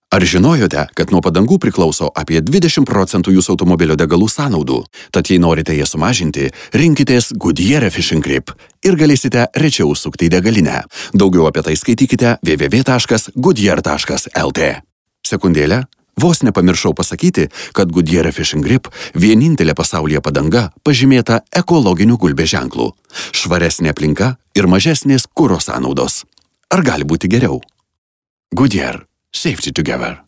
Ar žinojote, kad nuo padangų priklauso apie 20% jūsų automobilio degalų sąnaudų? Tad jei norite jas sumažinti, rinkitės Goodyear Efficient Grip ir galėsite rečiau sukti į degalinę. Daugiau apie tai skaitykite www.goodyear.lt. Sekundėlę, vos nepamiršau pasakyti, kad Goodyear Efficient Grip vienintelė pasaulyje padanga pažymėta ekologiniu gulbės ženklu. Švaresnė aplinka ir mažesnės kuro sąnaudos. Ar gali būti geriau? Goodyear. Safety together.